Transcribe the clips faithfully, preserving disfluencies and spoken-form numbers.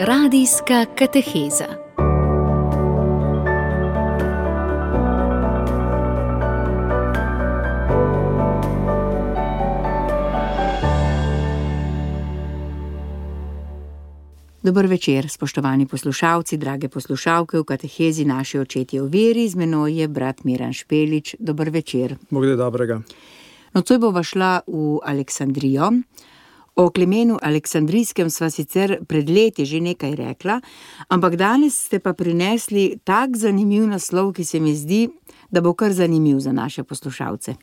Radijska kateheza. Dober večer, spoštovani poslušalci, drage poslušalke v katehezi Naši očetje v veri. Z menoj je brat Miran Špelič. Dober večer. Bog da dobrega. Nocoj bova šla v Aleksandrijo. O Klemenu Aleksandrijskem sva sicer pred leti že nekaj rekla, ampak danes ste pa prinesli tak zanimiv naslov, ki se mi zdi, da bo kar zanimiv za naše poslušalce.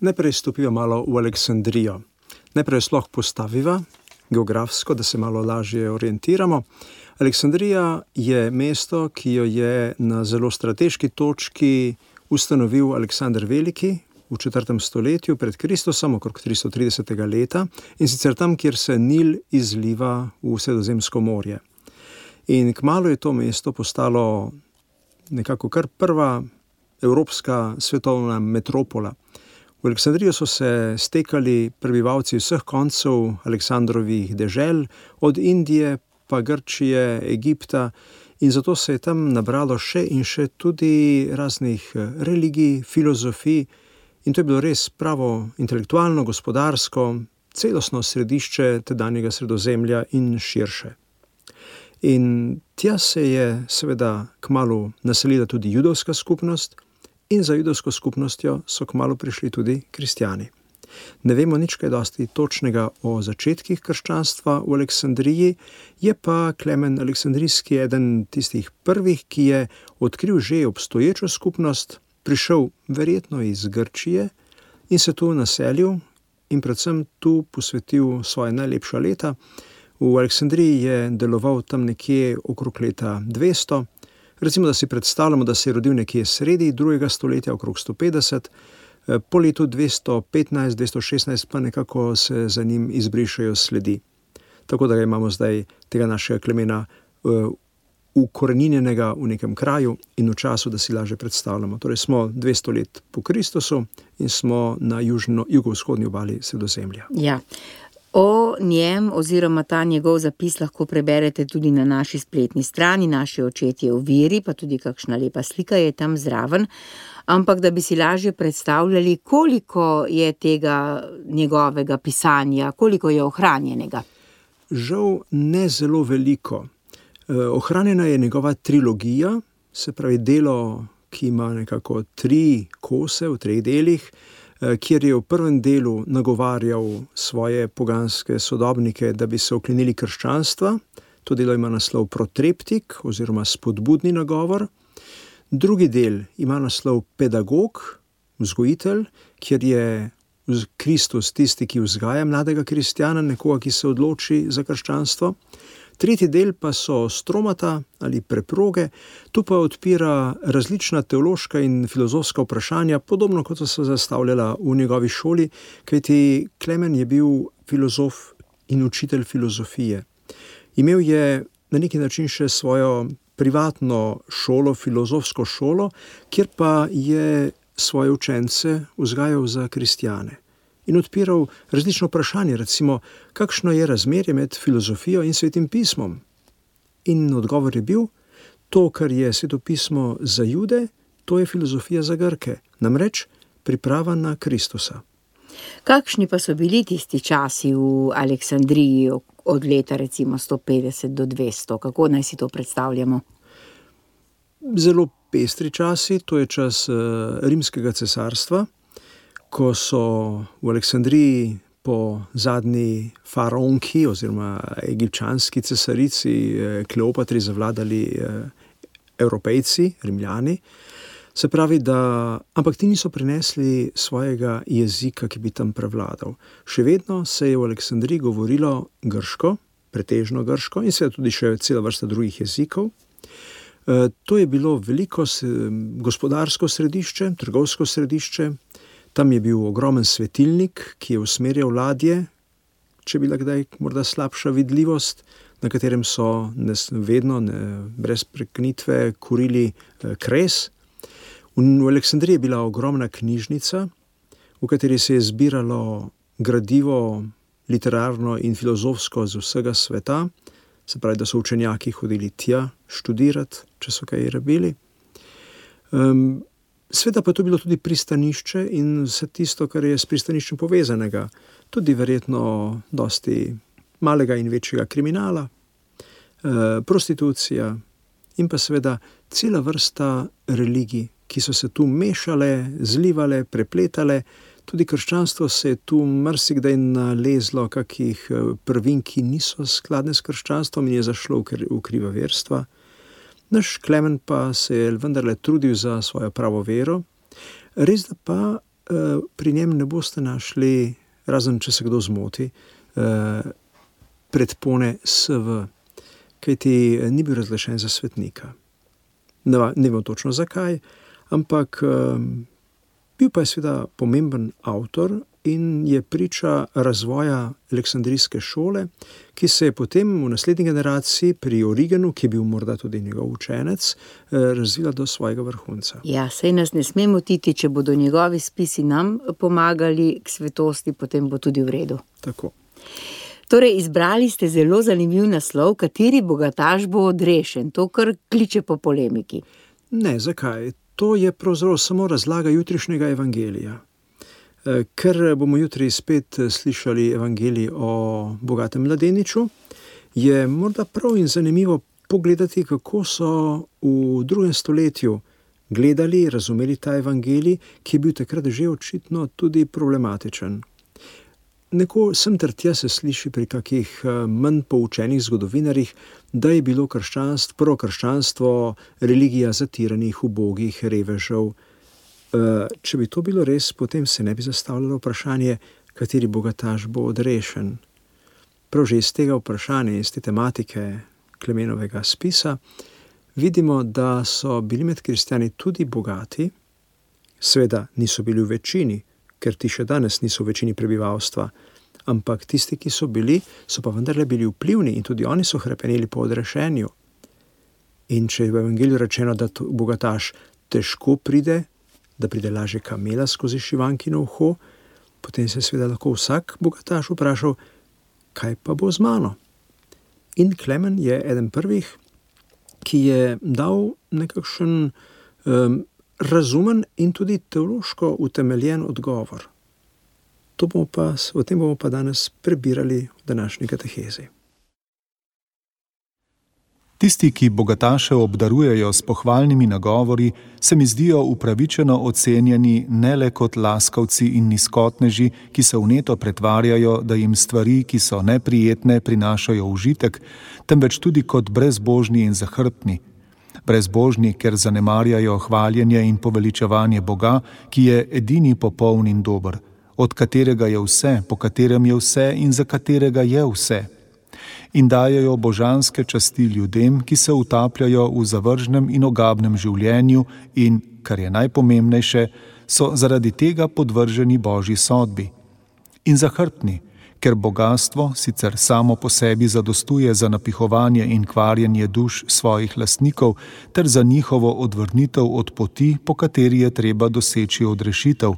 Najprej stopiva malo v Aleksandrijo. Najprej sploh postaviva geografsko, da se malo lažje orientiramo. Aleksandrija je mesto, ki jo je na zelo strateški točki ustanovil Aleksander Veliki v četrtem stoletju pred Kristusom, okrog tristo tridesetega leta, in sicer tam, kjer se Nil izliva v Sredozemsko morje. In kmalu je to mesto postalo nekako kar prva evropska svetovna metropola. V Aleksandrijo so se stekali prebivalci vseh koncev Aleksandrovih dežel, od Indije pa Grčije, Egipta, in zato se je tam nabralo še in še tudi raznih religij, filozofij, in to je bilo res pravo intelektualno, gospodarsko, celostno središče tedanjega Sredozemlja in širše. In tja se je seveda kmalu naselila tudi judovska skupnost, in za judovsko skupnostjo so kmalu prišli tudi kristjani. Ne vemo nič kaj dosti točnega o začetkih krščanstva v Aleksandriji, je pa Klemen Aleksandrijski eden tistih prvih, ki je odkril že obstoječo skupnost, prišel verjetno iz Grčije in se tu naselil in predvsem tu posvetil svoje najlepša leta. V Aleksandriji je deloval tam nekje okrog leta dvesto. Recimo, da si predstavljamo, da se je rodil nekje sredi drugega stoletja, okrog sto petdeset, po letu dvesto petnajst, dvesto šestnajst pa nekako se za njim izbrišejo sledi. Tako da ga imamo zdaj, tega našega Klemena, ukoreninjenega v nekem kraju in v času, da si lažje predstavljamo. Torej smo dvesto let po Kristusu in smo na južno, jugovzhodni obali Sredozemlja. Ja. O njem oziroma ta njegov zapis lahko preberete tudi na naši spletni strani, Naši očetje v veri, pa tudi kakšna lepa slika je tam zraven. Ampak da bi si lažje predstavljali, koliko je tega njegovega pisanja, koliko je ohranjenega. Žal ne zelo veliko. Ohranjena je njegova trilogija, se pravi delo, ki ima nekako tri kose v treh delih, kjer je v prvem delu nagovarjal svoje poganske sodobnike, da bi se oklenili krščanstva. To delo ima naslov Protreptik oziroma spodbudni nagovor. Drugi del ima naslov Pedagog, vzgojitelj, kjer je Kristus tisti, ki vzgaja mladega kristjana, nekoga, ki se odloči za krščanstvo. Tretji del pa so Stromata ali Preproge, tu pa odpira različna teološka in filozofska vprašanja, podobno kot so se zastavljala v njegovi šoli, kajti Klemen je bil filozof in učitelj filozofije. Imel je na neki način še svojo privatno šolo, filozofsko šolo, kjer pa je svoje učence vzgajal za kristjane. In odpiral različno vprašanje, recimo, kakšno je razmerje med filozofijo in svetim pismom. In odgovor je bil, to, kar je sveto pismo za Jude, to je filozofija za Grke, namreč priprava na Kristusa. Kakšni pa so bili tisti časi v Aleksandriji od leta recimo sto petdeset do dvesto? Kako naj si to predstavljamo? Zelo pestri časi, to je čas rimskega cesarstva, ko so v Aleksandriji po zadnji faraonki oziroma egipčanski cesarici Kleopatri zavladali Evropejci, Rimljani. Se pravi, da, ampak ti niso prinesli svojega jezika, ki bi tam prevladal. Še vedno se je v Aleksandriji govorilo grško, pretežno grško, in seveda tudi še cela vrsta drugih jezikov. To je bilo veliko gospodarsko središče, trgovsko središče. Tam je bil ogromen svetilnik, ki je usmerjal ladje, če bila kdaj morda slabša vidljivost, na katerem so vedno, ne, brez prekinitve, kurili kres. V Aleksandriji je bila ogromna knjižnica, v kateri se je zbiralo gradivo literarno in filozofsko z vsega sveta. se pravi, da so učenjaki hodili tja študirati, če so kaj rabili. Um, Sveda pa je to bilo tudi pristanišče in vse tisto, kar je s pristaniščem povezanega. Tudi verjetno dosti malega in večjega kriminala, eh, prostitucija in pa seveda cela vrsta religij, ki so se tu mešale, zlivale, prepletale. Tudi krščanstvo se je tu marsikdaj nalezlo kakih prvin, ki niso skladne s krščanstvom in je zašlo v kriva verstva. Naš Klemen pa se je vendarle trudil za svojo pravo vero. Res da pa eh, pri njem ne boste našli, razen če se kdo zmoti, eh, predpone S V, kajti ni bil razglašen za svetnika. Ne, ne vem točno zakaj, ampak eh, bil pa je seveda pomemben avtor in je priča razvoja aleksandrijske šole, ki se je potem v naslednji generaciji pri Origenu, ki je bil morda tudi njegov učenec, razvila do svojega vrhunca. Ja, saj nas ne sme motiti, če bodo njegovi spisi nam pomagali k svetosti, potem bo tudi v redu. Tako. Torej, izbrali ste zelo zanimiv naslov, kateri bogataš bo odrešen, to kar kliče po polemiki. Ne, zakaj? To je pravzaprav samo razlaga jutrišnjega evangelija. Ker bomo jutri spet slišali evangelij o bogatem mladeniču, je morda prav in zanimivo pogledati, kako so v drugem stoletju gledali, razumeli ta evangelij, ki je bil takrat že očitno tudi problematičen. Neko sem ter tja se sliši pri kakih manj poučenih zgodovinarjih, da je bilo krščanstvo, prvo krščanstvo religija zatiranih, ubogih, revežev. Če bi to bilo res, potem se ne bi zastavljalo vprašanje, kateri bogataš bo odrešen. Prav že iz tega vprašanja, iz te tematike Klemenovega spisa, vidimo, da so bili med kristjani tudi bogati, seveda niso bili v večini, ker ti še danes niso v večini prebivalstva, ampak tisti, ki so bili, so pa vendarle bili vplivni in tudi oni so hrepeneli po odrešenju. In če je v evangeliju rečeno, da bogataš težko pride, da pride lažje kamela skozi šivankino uho, potem se seveda lahko vsak bogataš vprašal, kaj pa bo z mano. In Klemen je eden prvih, ki je dal nekakšen um, razumen in tudi teološko utemeljen odgovor. To bomo pa, o tem bomo pa danes prebirali v današnji katehezi. Tisti, ki bogataše obdarujejo s pohvalnimi nagovori, se mi zdijo upravičeno ocenjeni ne le kot laskavci in nizkotneži, ki se vneto pretvarjajo, da jim stvari, ki so neprijetne, prinašajo užitek, temveč tudi kot brezbožni in zahrbtni. Brezbožni, ker zanemarjajo hvaljenje in poveličevanje Boga, ki je edini popoln in dober, od katerega je vse, po katerem je vse in za katerega je vse. In dajejo božanske časti ljudem, ki se utapljajo v zavržnem in ogabnem življenju in, kar je najpomembnejše, so zaradi tega podvrženi Božji sodbi. In zahrbtni, ker bogastvo sicer samo po sebi zadostuje za napihovanje in kvarjenje duš svojih lastnikov ter za njihovo odvrnitev od poti, po kateri je treba doseči odrešitev,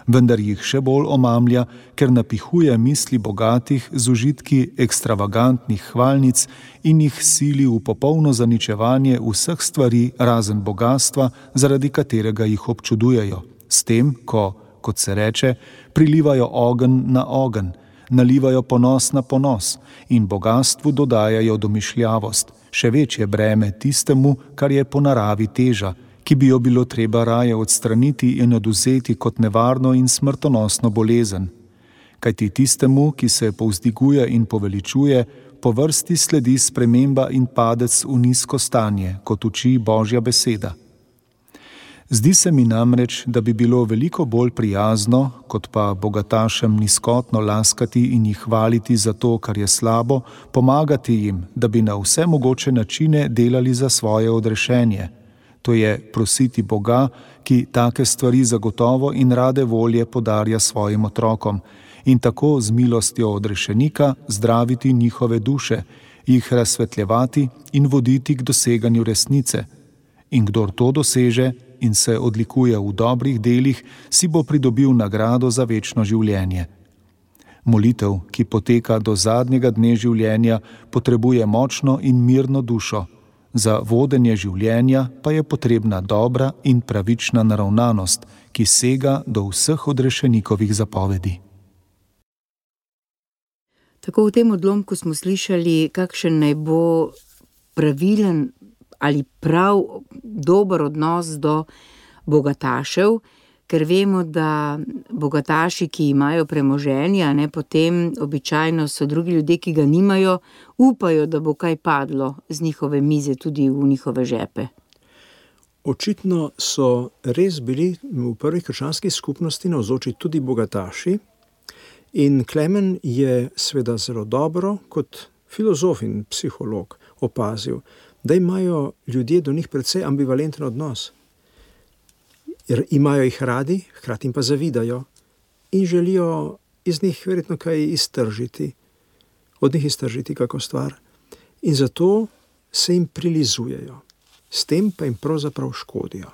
vendar jih še bolj omamlja, ker napihuje misli bogatih z užitki ekstravagantnih hvalnic in jih sili v popolno zaničevanje vseh stvari razen bogastva, zaradi katerega jih občudujejo. S tem, ko, kot se reče, prilivajo ogenj na ogenj, nalivajo ponos na ponos in bogastvu dodajajo domišljavost, še večje breme tistemu, kar je po naravi teža, ki bi jo bilo treba raje odstraniti in odvzeti kot nevarno in smrtonosno bolezen. Kajti tistemu, ki se povzdiguje in poveličuje, po vrsti sledi sprememba in padec v nizko stanje, kot uči Božja beseda. Zdi se mi namreč, da bi bilo veliko bolj prijazno, kot pa bogatašem nizkotno laskati in jih hvaliti za to, kar je slabo, pomagati jim, da bi na vse mogoče načine delali za svoje odrešenje. To je prositi Boga, ki take stvari zagotovo in rade volje podarja svojim otrokom, in tako z milostjo odrešenika zdraviti njihove duše, jih razsvetljevati in voditi k doseganju resnice. In kdor to doseže in se odlikuje v dobrih delih, si bo pridobil nagrado za večno življenje. Molitev, ki poteka do zadnjega dne življenja, potrebuje močno in mirno dušo. Za vodenje življenja pa je potrebna dobra in pravična naravnanost, ki sega do vseh odrešenikovih zapovedi. Tako v tem odlomku smo slišali, kakšen naj bo pravilen ali prav dober odnos do bogatašev, ker vemo, da bogataši, ki imajo premoženje, ne, potem običajno so drugi ljudje, ki ga nimajo, upajo, da bo kaj padlo z njihove mize tudi v njihove žepe. Očitno so res bili v prvih krščanskih skupnosti navzoči tudi bogataši in Klemen je seveda zelo dobro kot filozof in psiholog opazil, da imajo ljudje do njih precej ambivalenten odnos. Jer imajo jih radi, hkrati jim pa zavidajo in želijo iz njih verjetno kaj iztržiti, od njih iztržiti kako stvar. In zato se jim prilizujejo, s tem pa jim pravzaprav škodijo.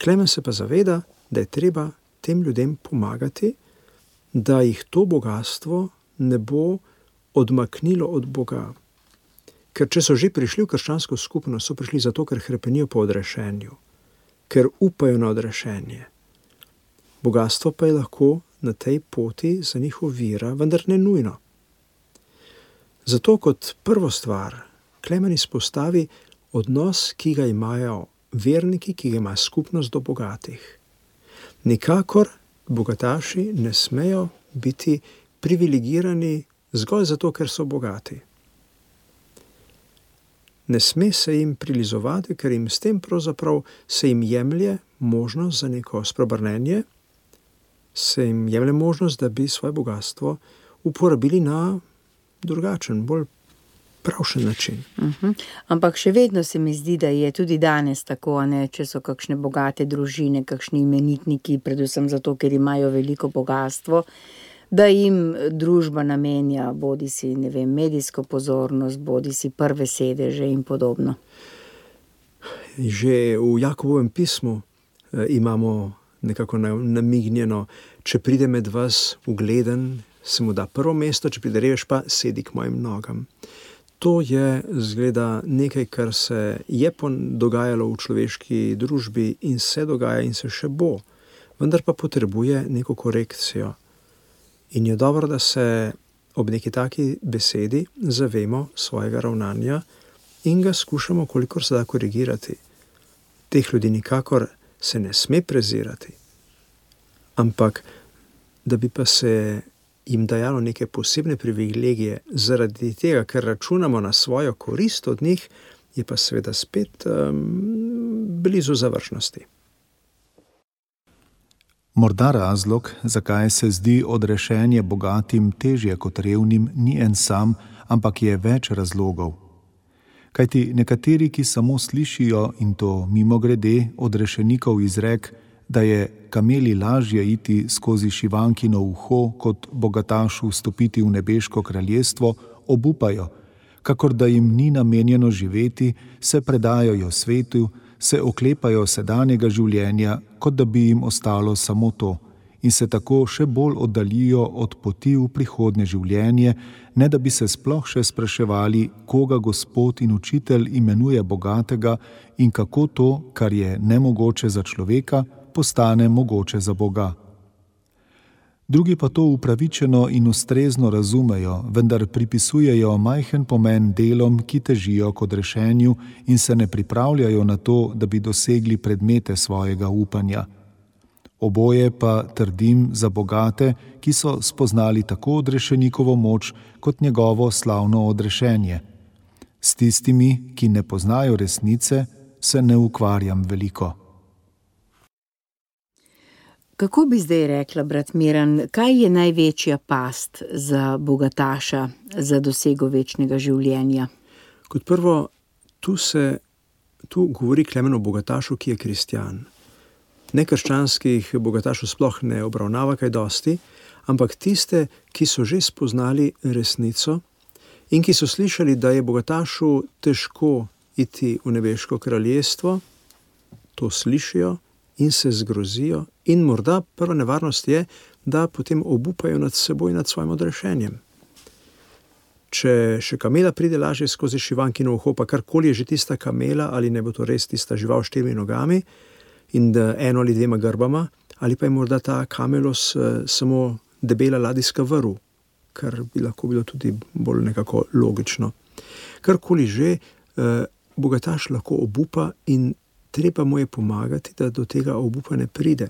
Klemen se pa zaveda, da je treba tem ljudem pomagati, da jih to bogastvo ne bo odmaknilo od Boga. Ker če so že prišli v krščansko skupnost, so prišli zato, ker hrepenijo po odrešenju, ker upajo na odrešenje. Bogastvo pa je lahko na tej poti za njih ovira, vendar ne nujno. Zato kot prvo stvar Klemen izpostavi odnos, ki ga imajo verniki, ki ga ima skupnost do bogatih. Nikakor bogataši ne smejo biti privilegirani zgolj zato, ker so bogati. Ne sme se jim prilizovati, ker jim s tem pravzaprav se jim jemlje možnost za neko spreobrnenje, se jim jemlje možnost, da bi svoje bogatstvo uporabili na drugačen, bolj pravšen način. Uh-huh. Ampak še vedno se mi zdi, da je tudi danes tako, ne, če so kakšne bogate družine, kakšni imenitniki, predvsem zato, ker imajo veliko bogatstvo, da jim družba namenja bodi si, ne vem, medijsko pozornost, bodi si prve sedeže in podobno. Že v Jakobovem pismu eh, imamo nekako namignjeno, če pride med vas ugleden, se mu da prvo mesto, če pride revež pa sedi k mojim nogam. To je zgleda nekaj, kar se je dogajalo v človeški družbi in se dogaja in se še bo, vendar pa potrebuje neko korekcijo. In je dobro, da se ob neki taki besedi zavemo svojega ravnanja in ga skušamo, kolikor se da, korigirati. Teh ljudi nikakor se ne sme prezirati, ampak da bi pa se jim dajalo neke posebne privilegije zaradi tega, ker računamo na svojo korist od njih, je pa seveda spet um, blizu završnosti. Morda razlog, zakaj se zdi odrešenje bogatim težje kot revnim, ni en sam, ampak je več razlogov. Kajti nekateri, ki samo slišijo, in to mimogrede, odrešenikov izrek, da je kameli lažje iti skozi šivankino uho, kot bogatašu vstopiti v nebeško kraljestvo, obupajo, kakor da jim ni namenjeno živeti, se predajajo svetu, se oklepajo sedanjega življenja, kot da bi jim ostalo samo to, in se tako še bolj oddaljijo od poti v prihodnje življenje, ne da bi se sploh še spraševali, koga Gospod in Učitelj imenuje bogatega in kako to, kar je nemogoče za človeka, postane mogoče za Boga. Drugi pa to upravičeno in ustrezno razumejo, vendar pripisujejo majhen pomen delom, ki težijo k odrešenju in se ne pripravljajo na to, da bi dosegli predmete svojega upanja. Oboje pa trdim za bogate, ki so spoznali tako odrešenikovo moč, kot njegovo slavno odrešenje. S tistimi, ki ne poznajo resnice, se ne ukvarjam veliko. Kako bi zdaj rekla, brat Miran, kaj je največja past za bogataša za dosego večnega življenja? Kot prvo, tu se tu govori Klemen o bogatašu, ki je kristjan. Nekrščanskih bogatašov sploh ne obravnava kaj dosti, ampak tiste, ki so že spoznali resnico in ki so slišali, da je bogatašu težko iti v nebeško kraljestvo, to slišijo in se zgrozijo. In morda prva nevarnost je, da potem obupajo nad seboj, nad svojim odrešenjem. Če še kamela pride lažje skozi šivankino uho, pa karkoli je že tista kamela, ali ne bo to res tista žival s štirimi nogami in eno ali dvema grbama, ali pa je morda ta kamelos uh, samo debela ladijska vrv, kar bi lahko bilo tudi bolj nekako logično. Karkoli že, uh, bogataš lahko obupa in treba mu je pomagati, da do tega obupa ne pride.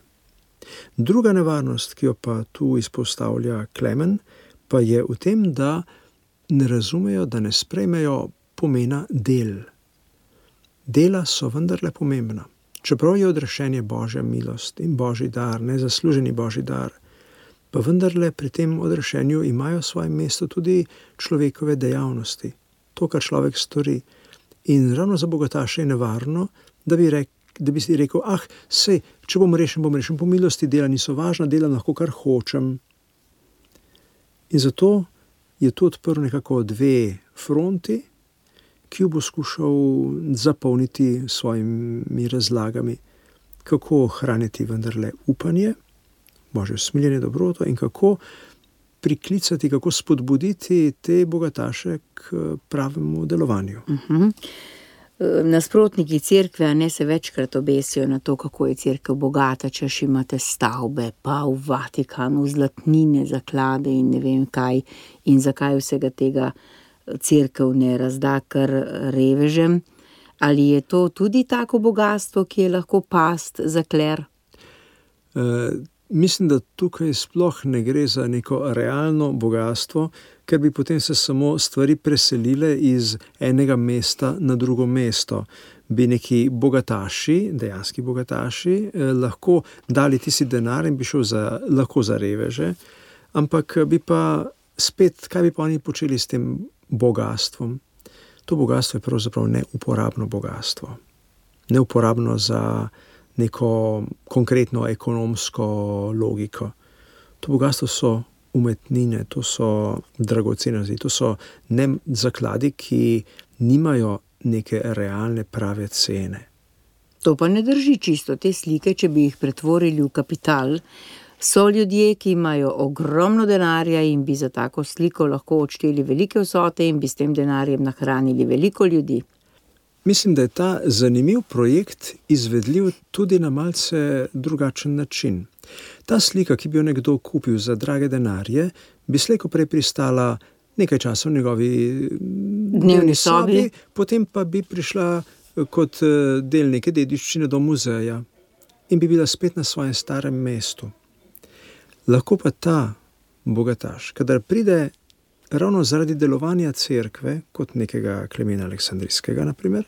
Druga nevarnost, ki jo pa tu izpostavlja Klemen, pa je v tem, da ne razumejo, da ne sprejmejo pomena del. Dela so vendarle pomembna. Čeprav je odrešenje Božja milost in Božji dar, nezasluženi Božji dar, pa vendarle pri tem odrešenju imajo svoje mesto tudi človekove dejavnosti. To, kar človek stori. In ravno za bogataše je nevarno, da bi, rek, da bi si rekel, ah, sej, če bom rešen, bom rešen po milosti, dela niso važna, delam lahko kar hočem. In zato je tu odprl nekako dve fronti, ki jo bo skušal zapolniti svojimi razlagami, kako ohraniti vendarle upanje, Božje usmiljenje, dobroto in kako priklicati, kako spodbuditi te bogataše k pravemu delovanju. Uh-huh. Nasprotniki cerkve ne se večkrat obesijo na to, kako je cerkev bogata, češ imate stavbe, pa v Vatikanu zlatnine, zaklade in ne vem kaj, in zakaj vsega tega cerkev ne razda kar revežem. Ali je to tudi tako bogatstvo, ki je lahko past za kler? Uh, mislim, da tukaj sploh ne gre za neko realno bogatstvo, ker bi potem se samo stvari preselile iz enega mesta na drugo mesto. Bi neki bogataši, dejanski bogataši, eh, lahko dali tisti denar in bi šel za, lahko za reveže, ampak bi pa spet, kaj bi pa oni počeli s tem bogatstvom? To bogatstvo je pravzaprav neuporabno bogatstvo. Neuporabno za neko konkretno ekonomsko logiko. To bogatstvo so umetnine, to so dragocenosti, to so ne zakladi, ki nimajo neke realne prave cene. To pa ne drži čisto. Te slike, če bi jih pretvorili v kapital, so ljudje, ki imajo ogromno denarja in bi za tako sliko lahko odšteli velike vsote in bi s tem denarjem nahranili veliko ljudi. Mislim, da je ta zanimiv projekt izvedljiv tudi na malce drugačen način. Ta slika, ki bi jo nekdo kupil za drage denarje, bi slejko prej pristala nekaj časa v njegovi dnevni sobi, sobi, potem pa bi prišla kot del neke dediščine do muzeja in bi bila spet na svojem starem mestu. Lahko pa ta bogataš, kadar pride ravno zaradi delovanja cerkve, kot nekega Klemena Aleksandrijskega, naprimer,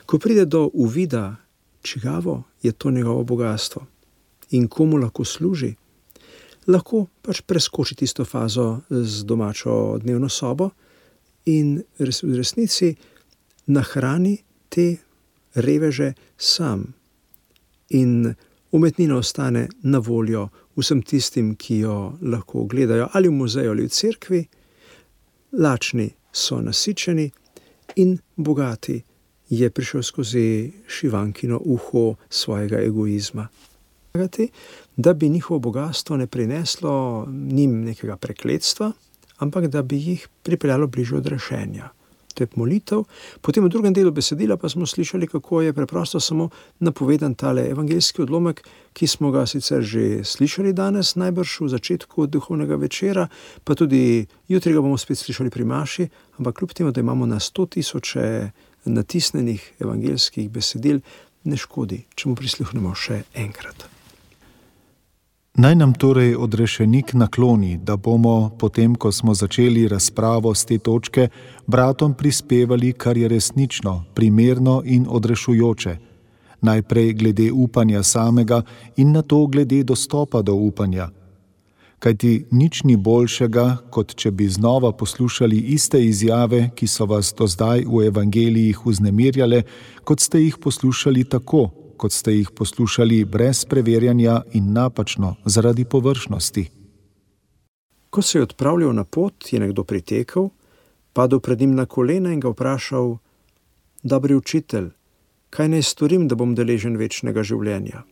ko pride do uvida, čigavo je to njegovo bogatstvo in komu lahko služi, lahko pač preskoči tisto fazo z domačo dnevno sobo in v resnici nahrani te reveže sam. In umetnina ostane na voljo vsem tistim, ki jo lahko gledajo ali v muzeju ali v cerkvi. Lačni so nasičeni in bogati je prišel skozi šivankino uho svojega egoizma. Da bi njihovo bogatstvo ne prineslo njim nekega prekletstva, ampak da bi jih pripeljalo bližje odrešenja. To je molitev. Potem v drugem delu besedila pa smo slišali, kako je preprosto samo napovedan tale evangeljski odlomek, ki smo ga sicer že slišali danes, najbrž v začetku duhovnega večera, pa tudi jutri ga bomo spet slišali pri maši, ampak kljub temu, da imamo na sto tisoče natisnenih evangeljskih besedil, ne škodi, če mu prisluhnemo še enkrat. Naj nam torej odrešenik nakloni, da bomo, potem ko smo začeli razpravo z te točke, bratom prispevali, kar je resnično, primerno in odrešujoče. Najprej glede upanja samega in nato glede dostopa do upanja. Kajti nič ni boljšega, kot če bi znova poslušali iste izjave, ki so vas do zdaj v evangelijih vznemirjale, kot ste jih poslušali tako, kot ste jih poslušali brez preverjanja in napačno zaradi površnosti. Ko se je odpravljal na pot, je nekdo pritekel, padel pred njim na kolena in ga vprašal: Dobri učitelj, kaj naj storim, da bom deležen večnega življenja?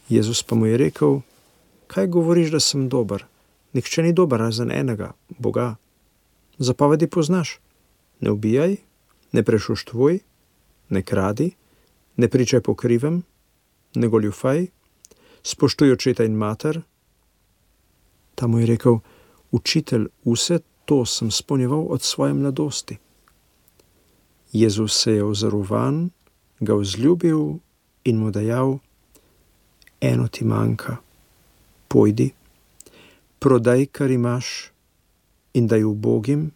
Jezus pa mu je rekel: kaj govoriš, da sem dober? Nihče ni dober razen enega, Boga. Zapovedi poznaš. Ne ubijaj, ne prešuštvuj, ne kradi, ne pričaj po krivem, ne goljufaj, spoštuj očeta in mater. Ta mu je rekel: Učitelj, vse to sem spolnjeval od svoje mladosti. Jezus se je ozrl van, ga vzljubil in mu dejal: Eno ti manjka, pojdi, prodaj, kar imaš, in daj ubogim,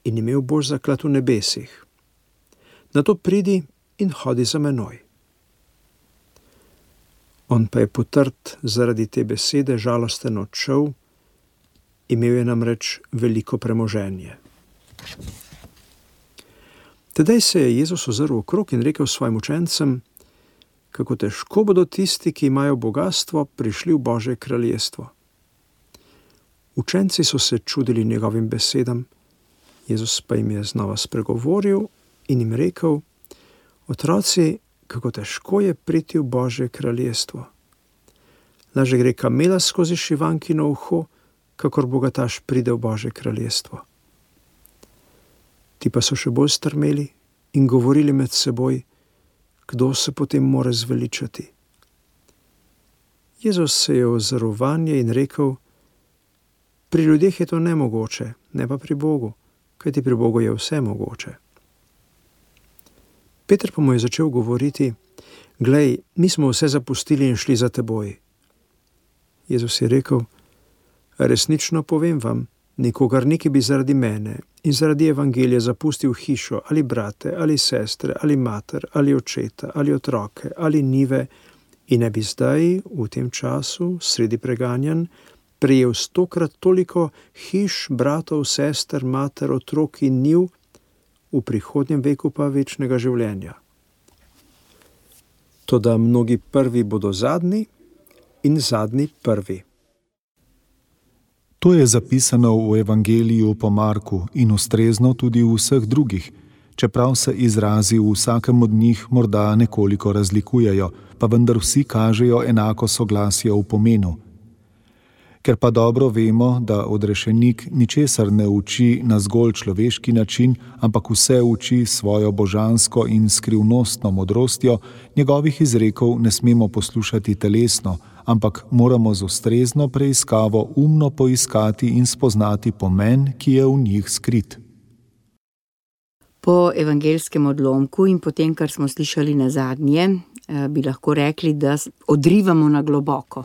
in imel boš zaklad v nebesih. Nato pridi in hodi za menoj. On pa je potrt zaradi te besede žalosten odšel, imel je namreč veliko premoženje. Tedaj se je Jezus ozrl okrog in rekel svojim učencem, kako težko bodo tisti, ki imajo bogastvo, prišli v Božje kraljestvo. Učenci so se čudili njegovim besedam, Jezus pa jim je znova spregovoril in jim rekel: Otroci, kako težko je priti v Božje kraljestvo. Lažje gre kamela skozi šivankino uho, kakor bogataš pride v Božje kraljestvo. Ti pa so še bolj strmeli in govorili med seboj, kdo se potem more zveličati. Jezus se je ozrl vanje in rekel: Pri ljudeh je to nemogoče, ne pa pri Bogu, kajti pri Bogu je vse mogoče. Peter pa mu je začel govoriti: Glej, mi smo vse zapustili in šli za teboj. Jezus je rekel: Resnično povem vam, nikogar ni, ki bi zaradi mene in zaradi evangelija zapustil hišo ali brate ali sestre ali mater ali očeta ali otroke ali njive in ne bi zdaj, v tem času, sredi preganjanj, prejel stokrat toliko hiš, bratov, sester, mater, otrok in njiv, v prihodnjem veku pa večnega življenja. Toda mnogi prvi bodo zadnji in zadnji prvi. To je zapisano v Evangeliju po Marku in ustrezno tudi v vseh drugih, čeprav se izrazi v vsakem od njih morda nekoliko razlikujejo, pa vendar vsi kažejo enako soglasje v pomenu. Ker pa dobro vemo, da odrešenik ničesar ne uči na zgolj človeški način, ampak vse uči svojo božansko in skrivnostno modrostjo, njegovih izrekov ne smemo poslušati telesno, ampak moramo z ustrezno preiskavo umno poiskati in spoznati pomen, ki je v njih skrit. Po evangelskem odlomku in po tem, kar smo slišali nazadnje, bi lahko rekli, da odrivamo na globoko.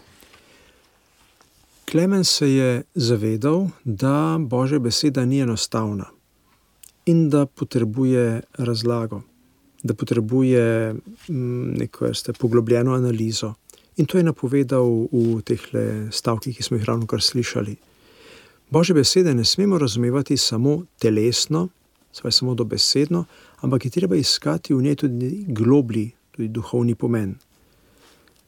Klemen se je zavedal, da Božja beseda ni enostavna in da potrebuje razlago, da potrebuje neko vrste poglobljeno analizo. In to je napovedal v tehle stavkih, ki smo jih ravnokar slišali. Božje besede ne smemo razumevati samo telesno, saj samo dobesedno, ampak je treba iskati v njej tudi globlji, tudi duhovni pomen.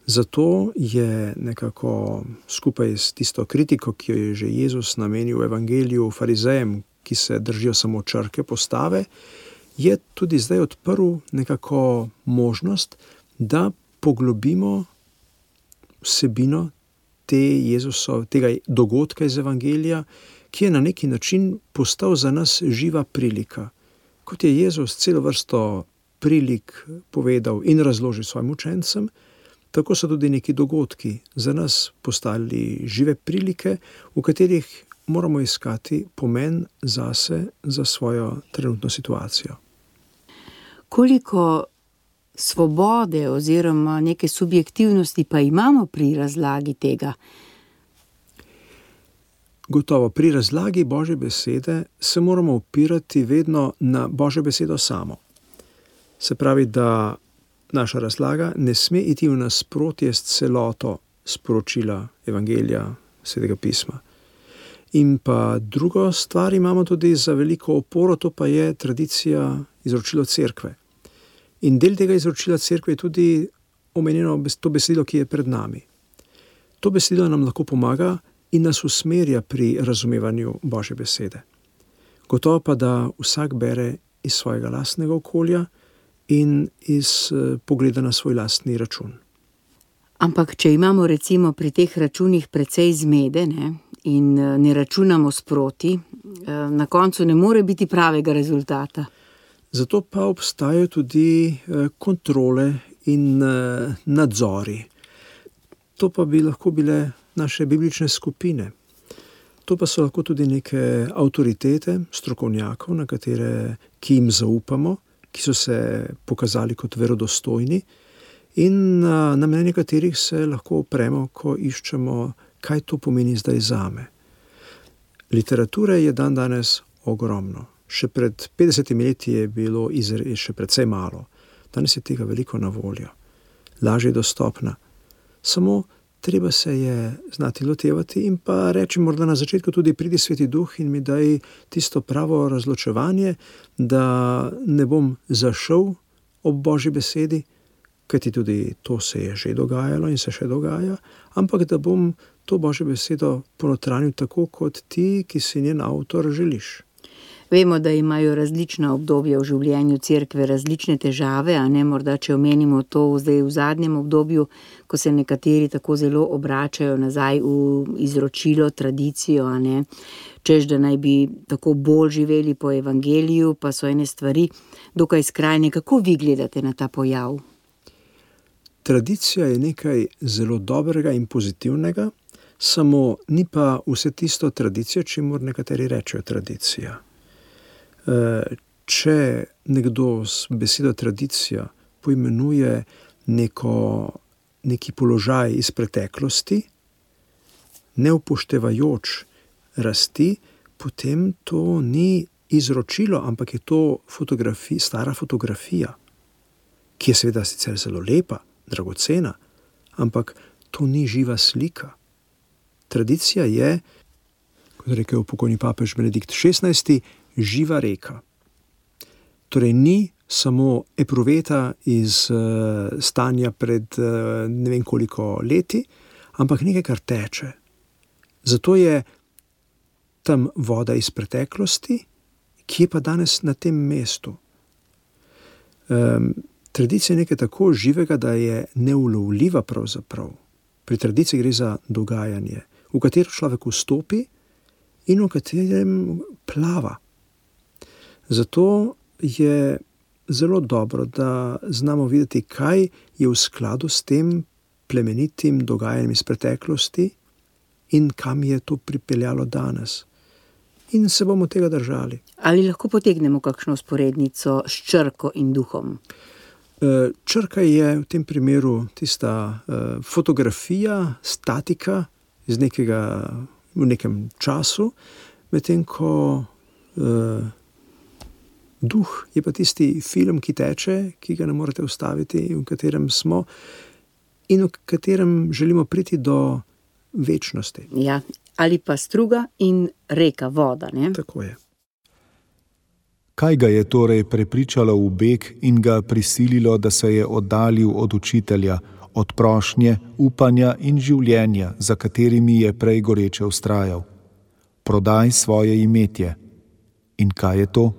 Zato je nekako skupaj s tisto kritiko, ki jo je že Jezus namenil v evangeliju farizejem, ki se držijo samo črke postave, je tudi zdaj odprl nekako možnost, da poglobimo vsebino te Jezusov, tega dogodka iz evangelija, ki je na neki način postal za nas živa prilika. Kot je Jezus celo vrsto prilik povedal in razložil svojim učencem, tako so tudi neki dogodki za nas postali žive prilike, v katerih moramo iskati pomen zase, za svojo trenutno situacijo. Koliko svobode oziroma neke subjektivnosti pa imamo pri razlagi tega? Gotovo, pri razlagi Božje besede se moramo opirati vedno na Božjo besedo samo. Se pravi, da naša razlaga ne sme iti v nasprotje s celoto sporočila evangelija, Svetega pisma. In pa drugo stvar imamo tudi za veliko oporo, to pa je tradicija izročilo cerkve. In del tega izročila cerkve je tudi omenjeno to besedilo, ki je pred nami. To besedilo nam lahko pomaga in nas usmerja pri razumevanju Božje besede. Gotovo pa, da vsak bere iz svojega lastnega okolja in iz pogleda na svoj lastni račun. Ampak, če imamo recimo pri teh računih precej zmede, ne, in ne računamo sproti, na koncu ne more biti pravega rezultata. Zato pa obstajajo tudi kontrole in nadzori. To pa bi lahko bile naše biblične skupine. To pa so lahko tudi neke avtoritete, strokovnjakov, na katere, ki jim zaupamo, ki so se pokazali kot verodostojni in na, na mnenje katerih se lahko opremo, ko iščemo, kaj to pomeni zdaj zame. Literature je dan danes ogromno. Še pred petdesetimi leti je bilo izre, še precej malo. Danes je tega veliko na voljo. Lažje dostopna. Samo treba se je znati lotevati in pa reči morda na začetku tudi pridi Sveti Duh in mi daj tisto pravo razločevanje, da ne bom zašel ob Božji besedi, kajti tudi to se je že dogajalo in se še dogaja, ampak da bom to Božjo besedo ponotranil tako, kot ti, ki si njen avtor, želiš. Vemo, da imajo različna obdobja v življenju cerkve različne težave, a ne morda, če omenimo to zdaj v zadnjem obdobju, ko se nekateri tako zelo obračajo nazaj v izročilo, tradicijo, a ne, češ, da naj bi tako bolj živeli po evangeliju, pa so ene stvari dokaj skrajne. Kako vi gledate na ta pojav? Tradicija je nekaj zelo dobrega in pozitivnega, samo ni pa vse tisto tradicija, čemur nekateri rečejo tradicija. Če nekdo s besedo tradicija poimenuje neko, neki položaj iz preteklosti, ne upoštevajoč rasti, potem to ni izročilo, ampak je to fotografi, stara fotografija, ki je seveda sicer zelo lepa, dragocena, ampak to ni živa slika. Tradicija je, kot rekel pokojni papež Benedikt šestnajsti, živa reka. Torej ni samo epruveta iz uh, stanja pred uh, ne vem koliko leti, ampak nekaj, kar teče. Zato je tam voda iz preteklosti, ki je pa danes na tem mestu. Um, tradicija je nekaj tako živega, da je neulovljiva pravzaprav. Pri tradiciji gre za dogajanje, v katero človek vstopi in v katerem plava. Zato je zelo dobro, da znamo videti, kaj je v skladu s tem plemenitim dogajanjem iz preteklosti in kam je to pripeljalo danes. In se bomo tega držali. Ali lahko potegnemo kakšno vzporednico s črko in duhom? Črka je v tem primeru tista fotografija, statika iz nekega, v nekem času, medtem ko duh je pa tisti film, ki teče, ki ga ne morete ustaviti, v katerem smo in v katerem želimo priti do večnosti. Ja, ali pa struga in reka, voda, ne? Tako je. Kaj ga je torej prepričalo v beg in ga prisililo, da se je oddaljil od učitelja, od prošnje, upanja in življenja, za katerimi je prej goreče vztrajal? Prodaj svoje imetje. In kaj je to?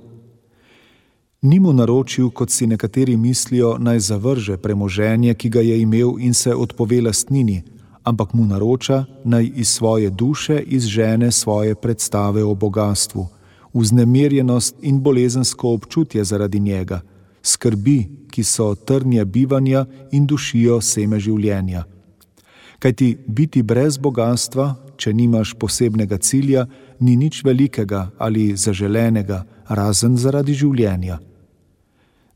Ni mu naročil, kot si nekateri mislijo, naj zavrže premoženje, ki ga je imel in se odpove lastnini, ampak mu naroča, naj iz svoje duše izžene svoje predstave o bogastvu, vznemirjenost in bolezensko občutje zaradi njega, skrbi, ki so trnje bivanja in dušijo seme življenja. Kajti biti brez bogastva, če nimaš posebnega cilja, ni nič velikega ali zaželenega, razen zaradi življenja.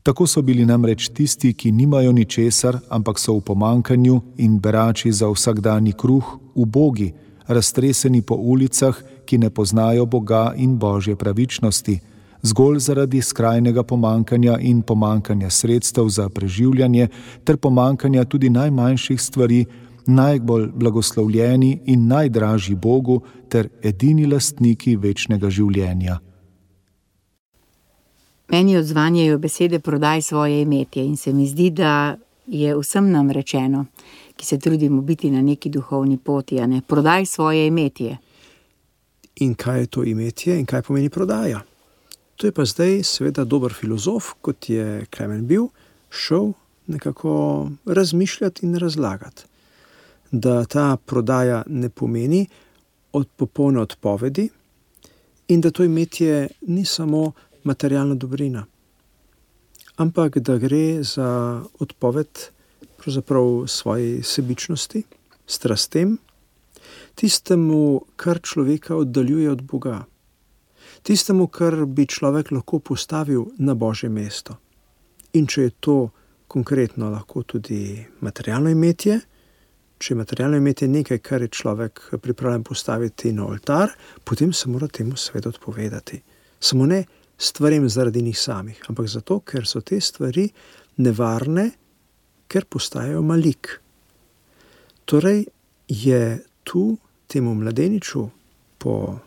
Tako so bili namreč tisti, ki nimajo ničesar, ampak so v pomanjkanju in berači za vsakdanji kruh, ubogi, raztreseni po ulicah, ki ne poznajo Boga in Božje pravičnosti, zgolj zaradi skrajnega pomanjkanja in pomanjkanja sredstev za preživljanje ter pomanjkanja tudi najmanjših stvari, najbolj blagoslovljeni in najdražji Bogu ter edini lastniki večnega življenja. Meni odzvanjajo besede prodaj svoje imetje in se mi zdi, da je vsem nam rečeno, ki se trudimo biti na neki duhovni poti, a ne, prodaj svoje imetje. In kaj je to imetje in kaj pomeni prodaja? To je pa zdaj seveda dober filozof, kot je Klemen bil, šel nekako razmišljati in razlagati. da ta prodaja ne pomeni od popolne odpovedi in da to imetje ni samo materialna dobrina, ampak da gre za odpoved pravzaprav svoji sebičnosti, strastem, tistemu, kar človeka oddaljuje od Boga, tistemu, kar bi človek lahko postavil na Božje mesto. In če je to konkretno lahko tudi materialno imetje, če je materialno imetje nekaj, kar je človek pripravljen postaviti na oltar, potem se mora temu seveda odpovedati. Samo ne stvarem zaradi njih samih, ampak zato, ker so te stvari nevarne, ker postajajo malik. Torej je tu temu mladeniču po,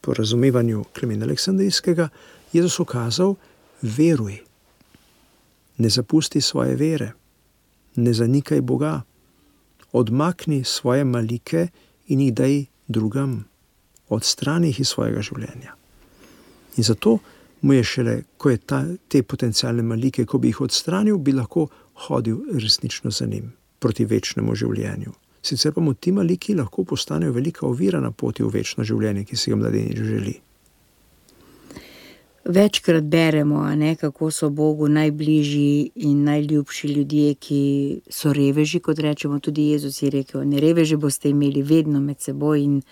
po razumevanju Klemena Aleksandrijskega Jezus ukazal: veruj, ne zapusti svoje vere, ne zanikaj Boga, odmakni svoje malike in jih daj drugam, odstrani jih iz svojega življenja. In zato mu je šele, ko je ta, te potencialne malike, ko bi jih odstranil, bi lahko hodil resnično za njim, proti večnemu življenju. Sicer pa mu ti maliki lahko postanejo velika ovira na poti v večno življenje, ki si ga mladenič želi. Večkrat beremo, a ne, kako so Bogu najbližji in najljubši ljudje, ki so reveži, kot rečemo. Tudi Jezus je rekel: ne, reveže boste imeli vedno med seboj, in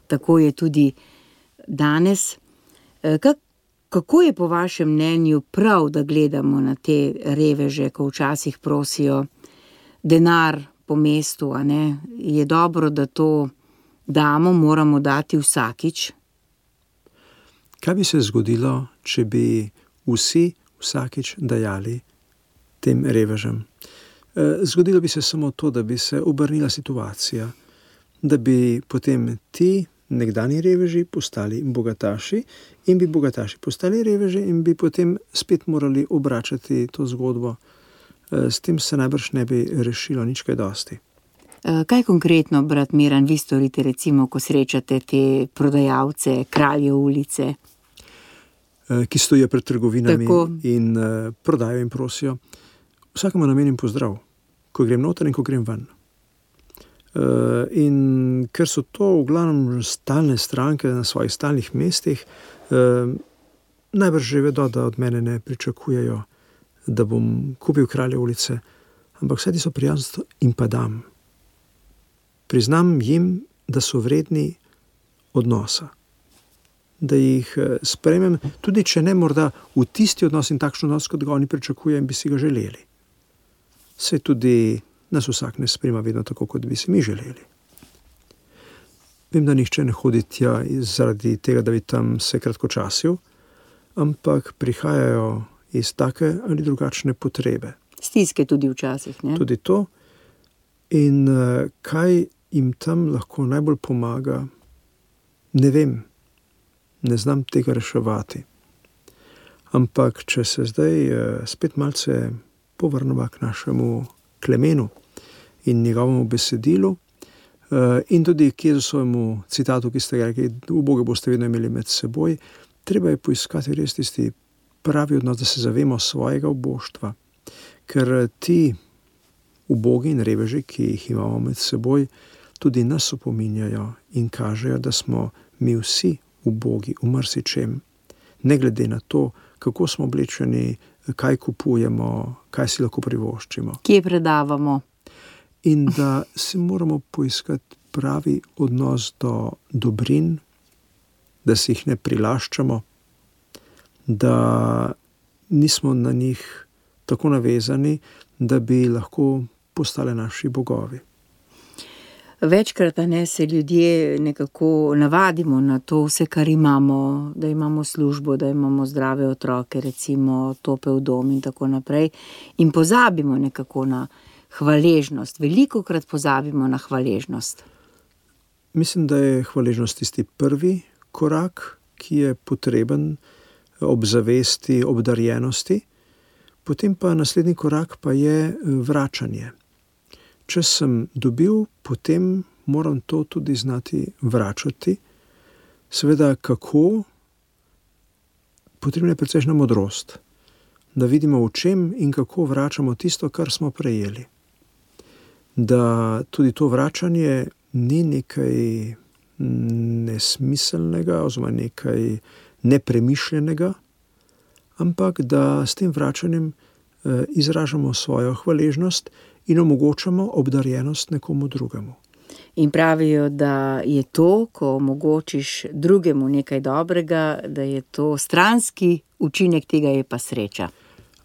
tako je tudi danes. Kak, kako je po vašem mnenju prav, da gledamo na te reveže, ko včasih prosijo denar po mestu, a ne? Je dobro, da to damo, moramo dati vsakič? Kaj bi se zgodilo, če bi vsi vsakič dajali tem revežem? Zgodilo bi se samo to, da bi se obrnila situacija, da bi potem ti nekdanji reveži postali bogataši in bi bogataši postali reveži in bi potem spet morali obračati to zgodbo. S tem se najbrž ne bi rešilo nič kaj dosti. Kaj konkretno, brat Miran, vi storite, recimo, ko srečate te prodajalce, kralje ulice? Ki stojijo pred trgovinami Tako. in prodajo in prosijo. Vsakemu namenim pozdrav, ko grem noter in ko grem ven. In ker so to v glavnem stalne stranke na svojih stalnih mestih, najbrž že vedo, da od mene ne pričakujejo, da bom kupil kralje ulice, ampak vse ti so prijazno in pa dam. Priznam jim, da so vredni odnosa, da jih sprejmem, tudi če ne morda v tisti odnos in takšen odnos, kot ga oni pričakujejo in bi si ga želeli. Se tudi nas vsak ne sprejema vedno tako, kot bi si mi želeli. Vem, da nihče ne hodi tja zaradi tega, da bi tam se kratkočasil, ampak prihajajo iz take ali drugačne potrebe. Stiske tudi včasih, ne? Tudi to. In kaj jim tam lahko najbolj pomaga, ne vem, ne znam tega reševati. Ampak če se zdaj spet malce povrnemo k našemu Klemenu in njegovemu besedilu in tudi k Jezusovemu citatu, ki ste ga rekli: uboge boste vedno imeli med seboj, treba je poiskati res tisti pravi odnos, da se zavemo svojega uboštva. Ker ti ubogi in reveži, ki jih imamo med seboj, tudi nas opominjajo in kažejo, da smo mi vsi ubogi v marsičem, ne glede na to, kako smo oblečeni, kaj kupujemo, kaj si lahko privoščimo. Kje predavamo? In da si moramo poiskati pravi odnos do dobrin, da si jih ne prilaščamo, da nismo na njih tako navezani, da bi lahko postale naši bogovi. Večkrat ne se ljudje nekako navadimo na to vse, kar imamo, da imamo službo, da imamo zdrave otroke, recimo topel dom in tako naprej, in pozabimo nekako na hvaležnost. Velikokrat pozabimo na hvaležnost. Mislim, da je hvaležnost tisti prvi korak, ki je potreben ob zavesti, obdarjenosti. Potem pa naslednji korak pa je vračanje. Če sem dobil, potem moram to tudi znati vračati. Seveda, kako? Potrebna je precejšnja modrost, da vidimo, v čem in kako vračamo tisto, kar smo prejeli. da tudi to vračanje ni nekaj nesmiselnega oziroma nekaj nepremišljenega, ampak da s tem vračanjem izražamo svojo hvaležnost in omogočamo obdarjenost nekomu drugemu. In pravijo, da je to, ko omogočiš drugemu nekaj dobrega, da je to stranski učinek tega, je pa sreča.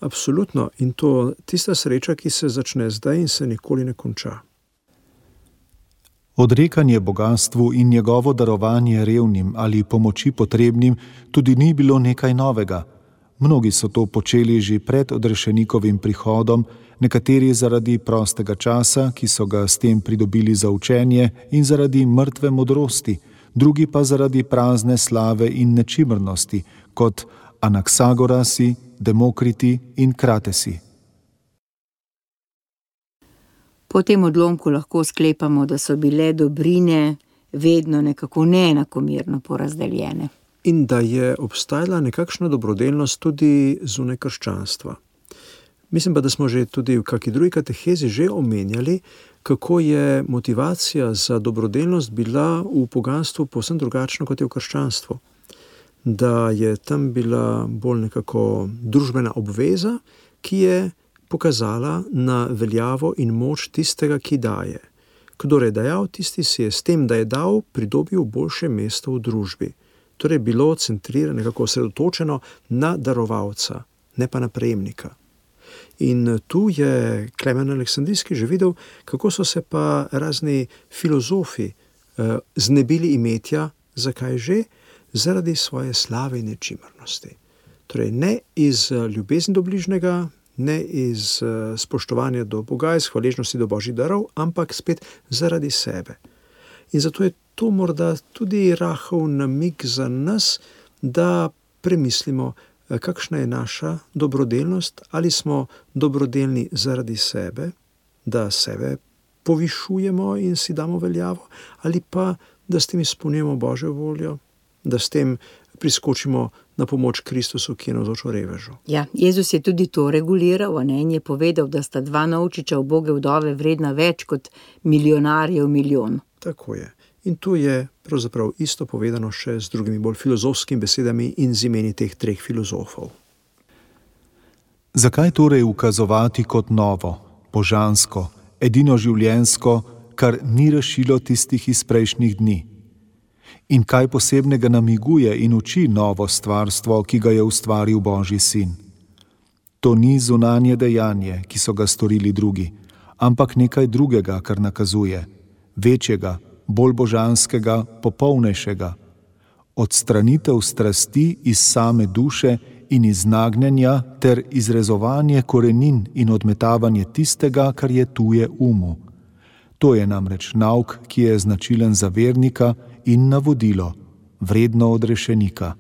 Absolutno. In to tista sreča, ki se začne zdaj in se nikoli ne konča. Odrekanje bogastvu in njegovo darovanje revnim ali pomoči potrebnim tudi ni bilo nekaj novega. Mnogi so to počeli že pred odrešenikovim prihodom, nekateri zaradi prostega časa, ki so ga s tem pridobili za učenje, in zaradi mrtve modrosti, drugi pa zaradi prazne slave in nečimrnosti, kot Anaksagorasi, Demokriti in Kratesi. Po tem odlomku lahko sklepamo, da so bile dobrine vedno nekako neenakomerno porazdeljene. In da je obstajala nekakšna dobrodelnost tudi zunaj krščanstva. Mislim pa, da smo že tudi v kakšni drugi katehezi že omenjali, kako je motivacija za dobrodelnost bila v poganstvu povsem drugačna kot je v krščanstvu. Da je tam bila bolj nekako družbena obveza, ki je pokazala na veljavo in moč tistega, ki daje. Kdor je dajal, tisti si je s tem, da je dal, pridobil boljše mesto v družbi. Torej bilo centrirano, nekako osredotočeno na darovalca, ne pa na prejemnika. In tu je Klemen Aleksandrijski že videl, kako so se pa razni filozofi eh, znebili imetja, zakaj že? Zaradi svoje slave in nečimrnosti. Torej ne iz ljubezni do bližnjega, ne iz uh, spoštovanja do Boga, iz hvaležnosti do Božjih darov, ampak spet zaradi sebe. In zato je to morda tudi rahel namig za nas, da premislimo, kakšna je naša dobrodelnost, ali smo dobrodelni zaradi sebe, da sebe povišujemo in si damo veljavo, ali pa da s tem izpolnjujemo Božjo voljo, da s tem priskočimo na pomoč Kristusu, ki je navzočil revežu. Ja, Jezus je tudi to reguliral, a ne, in je povedal, da sta dva novčiča uboge vdove vredna več kot milijonarjev milijon. Tako je. In tu je pravzaprav isto povedano še z drugimi bolj filozofskimi besedami in z imeni teh treh filozofov. Zakaj torej ukazovati kot novo, božansko, edino življenjsko, kar ni rešilo tistih iz prejšnjih dni? In kaj posebnega namiguje in uči novo stvarstvo, ki ga je ustvaril Božji sin? To ni zunanje dejanje, ki so ga storili drugi, ampak nekaj drugega, kar nakazuje, večjega, bolj božanskega, popolnejšega. Odstranitev strasti iz same duše in iz nagnjenja ter izrezovanje korenin in odmetavanje tistega, kar je tuje umu. To je namreč nauk, ki je značilen za vernika in navodilo, vredno odrešenika.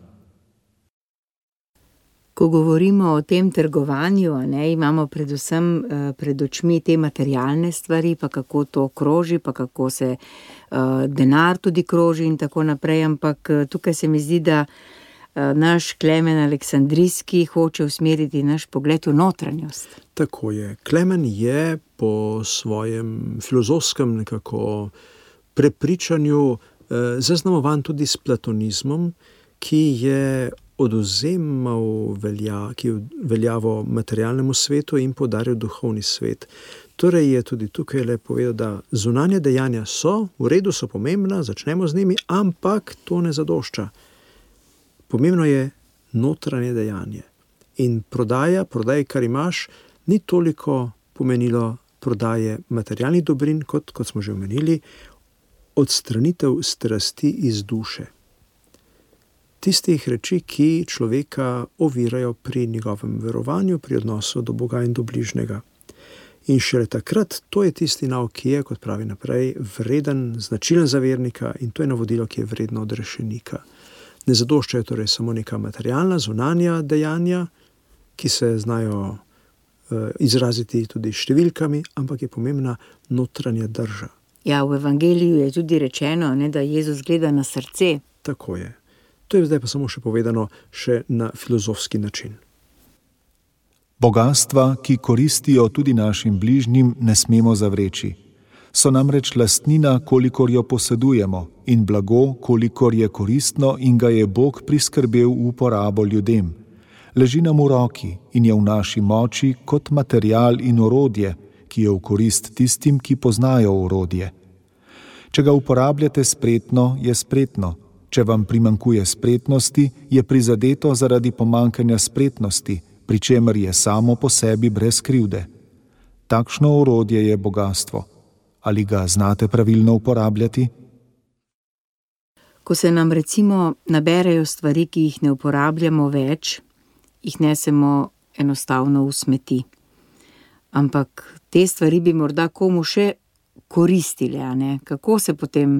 Ko govorimo o tem trgovanju, a ne, imamo predvsem uh, pred očmi te materialne stvari, pa kako to kroži, pa kako se uh, denar tudi kroži in tako naprej, ampak uh, tukaj se mi zdi, da uh, naš Klemen Aleksandrijski hoče usmeriti naš pogled v notranjost. Tako je. Klemen je po svojem filozofskem nekako prepričanju zaznamovan tudi s platonizmom, ki je oduzemal velja, ki je veljavo materialnemu svetu in podaril duhovni svet. Torej je tudi tukaj le povedal, da zunanje dejanja so, v redu so pomembna, začnemo z njimi, ampak to ne zadošča. Pomembno je notranje dejanje. In prodaja, prodaj, kar imaš, ni toliko pomenilo prodaje materialnih dobrin, kot, kot smo že omenili, odstranitev strasti iz duše. Tistih reči, ki človeka ovirajo pri njegovem verovanju, pri odnosu do Boga in do bližnjega. In šele takrat, to je tisti nauk, ki je, kot pravi naprej, vreden, značilen za vernika in to je navodilo, ki je vredno odrešenika. Ne zadoščajo torej samo neka materialna, zunanja dejanja, ki se znajo uh, izraziti tudi številkami, ampak je pomembna notranja drža. Ja, v evangeliju je tudi rečeno, ne, da Jezus gleda na srce. Tako je. To je zdaj pa samo še povedano še na filozofski način. Bogastva, ki koristijo tudi našim bližnjim, ne smemo zavreči. So namreč lastnina, kolikor jo posedujemo, in blago, kolikor je koristno in ga je Bog priskrbel v uporabo ljudem. Leži nam v roki in je v naši moči kot material in orodje, ki je v korist tistim, ki poznajo orodje. Če ga uporabljate spretno, je spretno. Če vam primankuje spretnosti, je prizadeto zaradi pomankanja spretnosti, pri čemer je samo po sebi brez krivde. Takšno orodje je bogastvo. Ali ga znate pravilno uporabljati? Ko se nam recimo naberejo stvari, ki jih ne uporabljamo več, jih nesemo enostavno v smeti. Ampak te stvari bi morda komu še koristile, a ne? Kako se potem,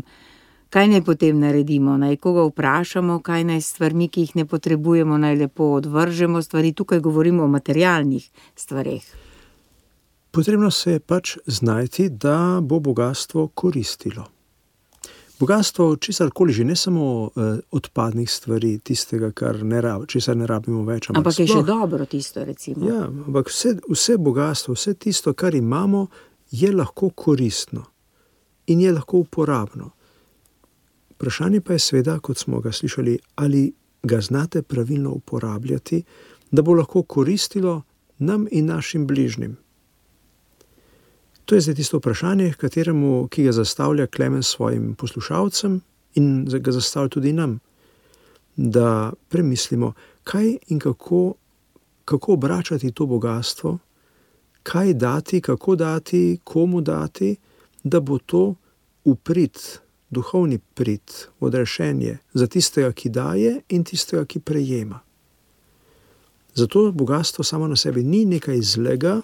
kaj naj potem naredimo? Naj koga vprašamo, kaj naj s stvarmi, ki jih ne potrebujemo, naj lepo odvržemo stvari? Tukaj govorimo o materialnih stvareh. Potrebno se je pač znajti, da bo bogastvo koristilo. Bogastvo česarkoli že, ne samo eh, odpadnih stvari, tistega, kar ne rab, česar ne rabimo več. Ampak, ampak je sploh, še dobro tisto, recimo. Ja, ampak vse, vse bogastvo, vse tisto, kar imamo, je lahko koristno in je lahko uporabno. Vprašanje pa je seveda, kot smo ga slišali, ali ga znate pravilno uporabljati, da bo lahko koristilo nam in našim bližnjim. To je zdaj tisto vprašanje, kateremu, ki ga zastavlja Klemen svojim poslušalcem in ga zastavlja tudi nam, da premislimo, kaj in kako, kako obračati to bogastvo, kaj dati, kako dati, komu dati, da bo to uprit, duhovni prit, odrešenje za tistega, ki daje in tistega, ki prejema. Zato bogastvo samo na sebi ni nekaj zlega,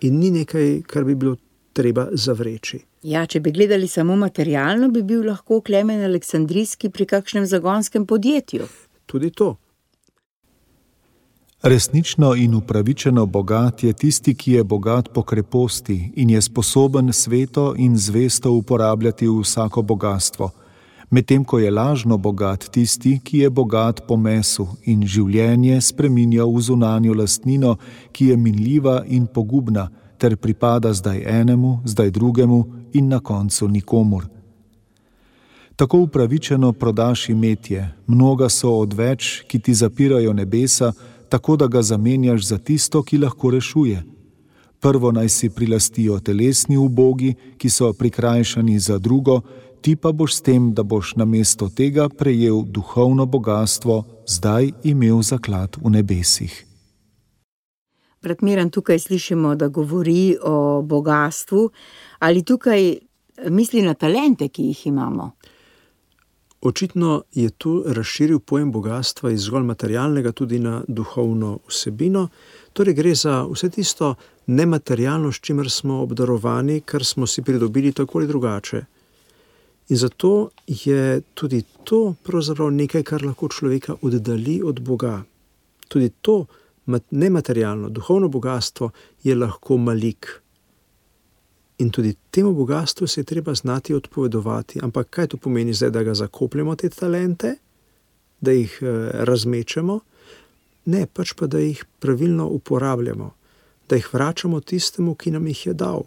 in ni nekaj, kar bi bilo treba zavreči. Ja, če bi gledali samo materialno, bi bil lahko Klemen Aleksandrijski pri kakšnem zagonskem podjetju. Tudi to. Resnično in upravičeno bogat je tisti, ki je bogat po kreposti in je sposoben sveto in zvesto uporabljati vsako bogastvo, medtem ko je lažno bogat tisti, ki je bogat po mesu in življenje spreminja v zunanjo lastnino, ki je minljiva in pogubna, ter pripada zdaj enemu, zdaj drugemu in na koncu nikomur. Tako upravičeno prodaš imetje, mnoga so odveč, ki ti zapirajo nebesa, tako da ga zamenjaš za tisto, ki lahko rešuje. Prvo naj si prilastijo telesni ubogi, ki so prikrajšani za drugo, ti pa boš s tem, da boš namesto tega prejel duhovno bogastvo, zdaj imel zaklad v nebesih. Brat Miran, tukaj slišimo, da govori o bogatstvu. Ali tukaj misli na talente, ki jih imamo? Očitno je tu razširil pojem bogatstva iz zgolj materialnega tudi na duhovno vsebino. Torej gre za vse tisto nematerialno, s čimer smo obdarovani, kar smo si pridobili tako ali drugače. In zato je tudi to pravzaprav nekaj, kar lahko človeka oddali od Boga. Tudi to nematerialno, duhovno bogatstvo je lahko malik. In tudi temu bogatstvu se je treba znati odpovedovati. Ampak kaj to pomeni zdaj, da ga zakopljemo te talente, da jih razmečemo? Ne, pač pa, da jih pravilno uporabljamo, da jih vračamo tistemu, ki nam jih je dal.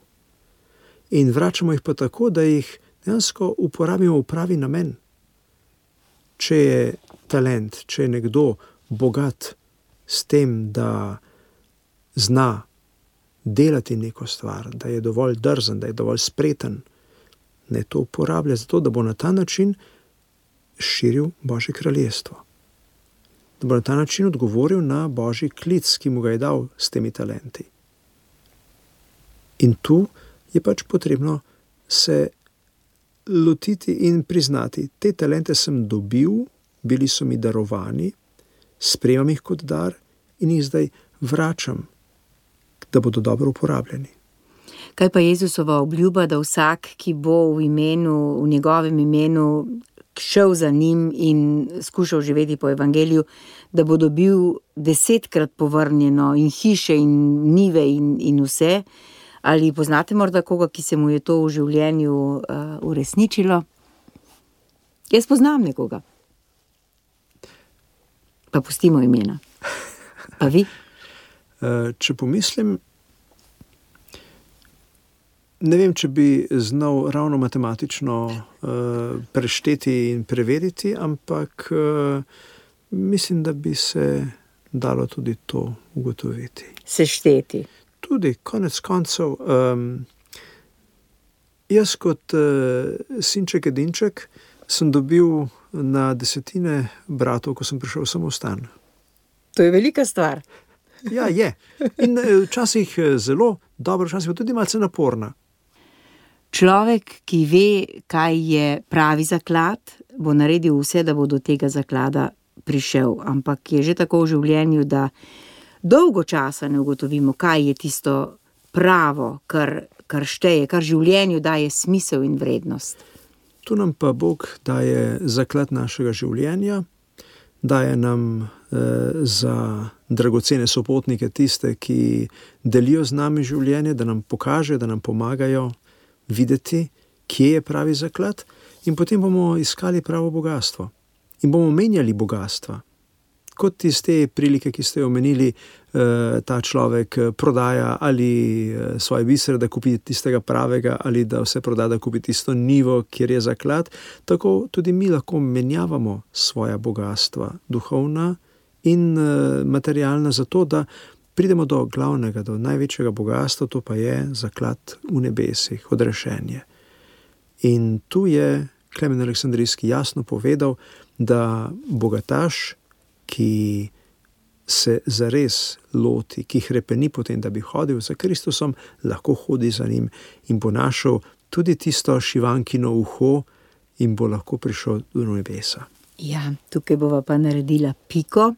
In vračamo jih pa tako, da jih dejansko uporabimo v pravi namen. Če je talent, če je nekdo bogat s tem, da zna delati neko stvar, da je dovolj drzen, da je dovolj spreten, ne to uporablja zato, da bo na ta način širil Božje kraljestvo. Da bo na ta način odgovoril na Božji klic, ki mu ga je dal s temi talenti. In tu je pač potrebno se lotiti in priznati, te talente sem dobil, bili so mi darovani, sprejemam jih kot dar in jih zdaj vračam, da bodo dobro uporabljeni. Kaj pa Jezusova obljuba, da vsak, ki bo v imenu, v njegovem imenu šel za njim in skušal živeti po evangeliju, da bo dobil desetkrat povrnjeno in hiše in njive in, in vse? Ali poznate morda koga, ki se mu je to v življenju uh, uresničilo? Jaz poznam nekoga. Pa pustimo imena. Pa vi? Če pomislim, Ne vem, če bi znal ravno matematično uh, prešteti in preveriti, ampak uh, mislim, da bi se dalo tudi to ugotoviti. Sešteti. Tudi, konec koncev, um, jaz kot uh, sinček edinček sem dobil na desetine bratov, ko sem prišel v samostan. To je velika stvar. Ja, je. In včasih zelo dobro, včasih pa tudi malce naporna. Človek, ki ve, kaj je pravi zaklad, bo naredil vse, da bo do tega zaklada prišel. Ampak je že tako v življenju, da dolgo časa ne ugotovimo, kaj je tisto pravo, kar, kar šteje, kar življenju daje smisel in vrednost. Tu nam pa Bog daje zaklad našega življenja, daje nam eh, za dragocene sopotnike tiste, ki delijo z nami življenje, da nam pokaže, da nam pomagajo videti, kje je pravi zaklad, in potem bomo iskali pravo bogastvo. In bomo menjali bogastva. Kot iz te prilike, ki ste omenili, ta človek prodaja ali svoje bisere, da kupi tistega pravega, ali da vse proda, da kupi tisto nivo, kjer je zaklad, tako tudi mi lahko menjavamo svoja bogastva, duhovna in materialna, zato da pridemo do glavnega, do največjega bogastva, to pa je zaklad v nebesih, odrešenje. In tu je Klemen Aleksandrijski jasno povedal, da bogataš, ki se zares loti, ki hrepeni potem, da bi hodil za Kristusom, lahko hodi za njim in bo našel tudi tisto šivankino uho in bo lahko prišel do nebesa. Ja, tukaj bova pa naredila piko.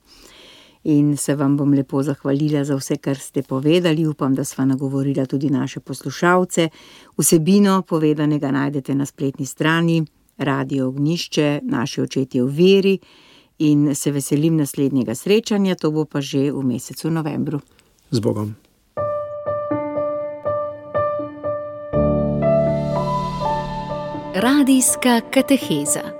In se vam bom lepo zahvalila za vse, kar ste povedali. Upam, da sva nagovorila tudi naše poslušalce. Vsebino povedanega najdete na spletni strani Radio Ognjišče, Naši očetje v veri, in se veselim naslednjega srečanja, to bo pa že v mesecu novembru. Z Bogom. Radijska kateheza.